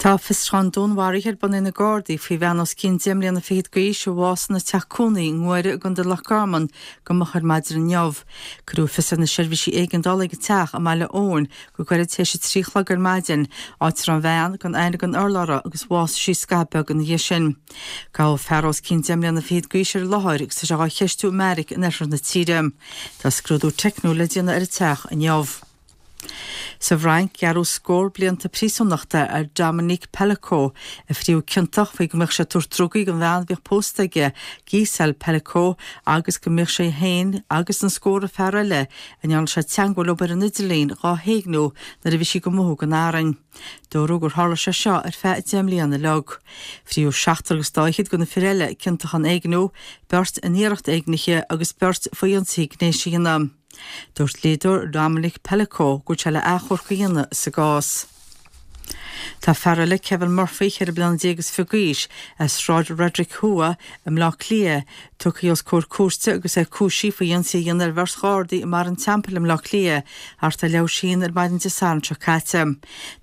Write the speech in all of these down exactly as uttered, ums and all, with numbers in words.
Tá fiosrúchán dúnmharaithe ar bun ag na Gardaí faoi bhean os cionn deich mbliana fichead d'aois a bhásaigh ina teach cónaí i nGuaire i gContae Loch Garman go moch ar maidin inniu. Cuireadh fios ar na seirbhísí éigeandála ag a teach i mBaile Eoin go gairid tar éis a trí a chlog ar maidin, áit a raibh an bhean gan aithne gan urlabhra agus bhásaigh sí scaitheamh beag ina dhiaidh sin. Gabhadh fear os cionn deich mbliana fichead d'aois ar an láthair agus tá sé á cheistiú i mbeairic in oirthear na tíre. Tá scrúdú teicniúil le déanamh ar an teach inniu. Sa bhFrainc, gearradh scór blianta príosúnachta ar Dominique Pelicot, a fríodh ciontach faoi go mbeadh sé ag tabhairt drugaí don bhean a bhíodh pósta aige, Gisèle Pelicot, agus go mbíodh sé féin agus an scór fear eile a ndearna sé teagmháil leo ar an idirlíon dhá héigniú nuair a bhí sí ag mothú gan arainn. Dúradh gur tharla sé seo ar feadh deich mbliana uilig. Fríodh seachtar agus dá fhichead de na fir eile ciontach in éigniú, beirt in iarracht éignithe agus beirt faoi ionsaí gnéis a dhéanamh. Dúirt dlíodóir Dominique Pelicot go bhfuil sé le achomharc a dhéanamh sa gcás. Tá fear eile Kevin Murphy ceithre bliana déag is fiche d'aois as Sráid Fhrederick Thuaidh i mBleá Cliath, tugtha os comhair cúirte agus é cúisithe faoi ionsaí a dhéanamh ar bheirt Ghardaí i mBarra an Teampaill i mBleá Cliath thart ar leathuair tar éis a haon ar maidin Dé Sathairn seo caite.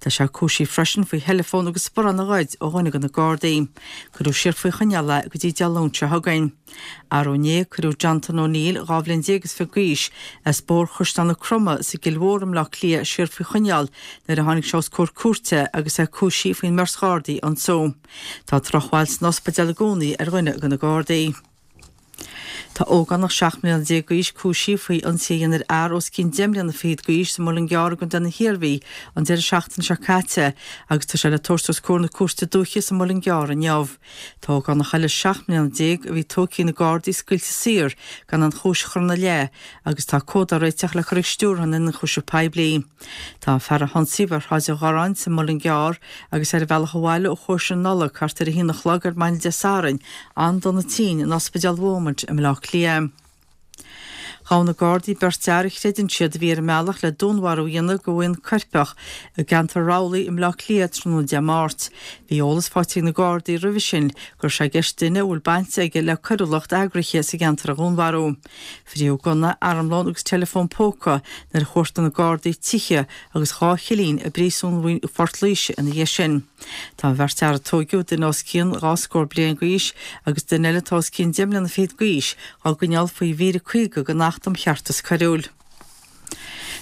Tá sé cúisithe freisin faoi theileafón agus sparán a ghoid ó dhuine de na Gardaí. Cuireadh siar faoi choinneáil é go dtí Dé Luain seo chugainn. Arú inné cuireadh Jonathan O'Neill dhá bhliain déag is fiche d'aois as Bóthar Chaisleán na Croma sa gCill Mhór i mBleá Cliath siar faoi choinneáil nuair a tháinig sé os comhair cúirte agus é cúisithe faoin mbeirt Ghardaí a ionsú. Tá drochbhail san ospidéal i gcónaí ar dhuine de na Gardaí. Tá ógánach seacht mbliana déag d'aois cúisithe faoi ionsaí a dhéanamh ar fhear os cionn deich mbliana fichead d'aois sa Muileann gCearr i gContae na hIarmhí an deireadh seachtaine seo caite agus tá sé le tabhairt os comhair na cúirte dúiche sa Muileann gCearr inniu. Tá ógánach eile seacht mbliana déag a bhí tógtha ag na Gardaí scaoilte saor gan aon chúis a chur ina leith agus tá comhad á réiteach le cur ag stiúrthóir na n-ionchúiseamh poiblí. Tá an fear a hionsaíodh ar Shráid an Gharráin sa Muileann gCearr agus ar a bhealach abhaile ó chóisir na Nollag thart ar a haon a chlog ar maidin Dé Sathairn an-dona tinn in Ospidéal Beaumont i mBleá Cliath. Ghabh na Gardaí beirt fhear a chreideann siad a bhí ar an mbealach le dúnmharú a dhéanamh do bhuíon coirpeach i gceantar Raghallach i mBleá Cliath tráthnóna Dé Máirt. Bhí eolas faighte ag na Gardaí roimhe sin go raibh sé i gceist duine a bhfuil baint aige le coiriúlacht eagraithe sa gceantar a dhúnmharú. Fríodh gunna, armlón agus teileafón póca nuair a chuartaigh na Gardaí tithe agus dhá chillín i bpríosún Phort Laoise ina dhiaidh sin. Tá an bheirt fhear a tóigeadh duine os cionn dhá scór bliain d'aois agus duine eile atá os cionn deich mbliana fichead d'aois á gcoinneáil faoi mhír a caoga den Acht um Cheartas Coiriúil.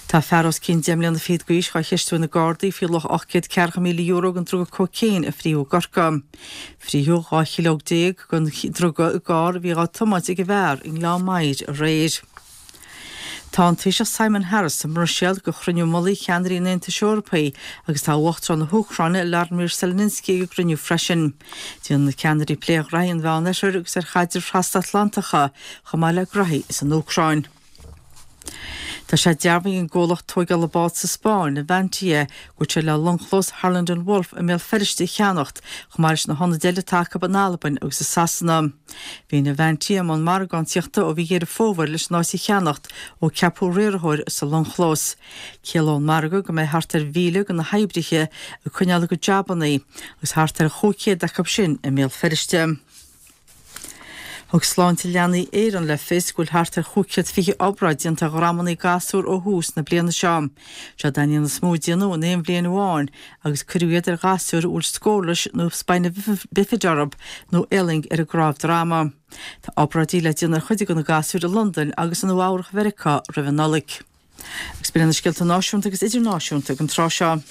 Tá fear os cionn deich mbliana fichead d'aois á cheistiú ag na Gardaí faoi luach ocht gcéad ceathracha míle euro den druga cócaon a fríodh i gCorcaigh. Fríodh dhá chileog déag den druga i gcarr a bhí á tiomáint ag an bhfear i nGleann Maghair aréir. Tá an Taoiseach Simon Harris sa mBruiséil do chruinniú mullaigh cheannairí an Aontais Eorpaigh agus tá Uachtarán na hÚcráine Vladimir Zelensky ag an gcruinniú freisin. Déanfaidh na ceannairí plé ar ghraithí an Mheánoirthir agus ar chaidrimh thrasatlantacha chomh maith le graithí san Úcráin. Tá sé dearbhaithe ag an gcomhlacht tógála bád sa Spáinn, Navantia, go bhfuil sé le longchlós Harland and Wolff i mBéal Feirste a cheannacht, chomh maith leis na hionaid eile atá acu in Albain agus i Sasana. Bhí Navantia i mbun margáíochta ó mhí Dheireadh Fómhair leis an áit a cheannacht ó ceapadh riarthóir sa longchlós. Ciallóidh an margadh go mbeidh thart ar mhíle de na hoibrithe ag coinneáil a gcuid jabanna agus thart ar chúig chéad acu sin i mBéal Feirste. Thug Sláinte Leanaí Éireann le fios go bhfuil thart ar chúig chéad fiche obráid déanta ar dhromanna gasúr ó thús na bliana seo. Seo an líon is mó a déanadh in aon bhliain amháin agus cuireadh iad ar ghasúir a bhfuil scórlais nó spina bifida orthu nó éalaing ar a gcnámh droma. Tá obráidí le déanamh ar chuid de na gasúir i Londain agus i Nua-Eabhrac Mheiriceá roimh an Nollaig. Agus b'in na scéalta náisiúnta agus idirnáisiúnta ag an tráth seo.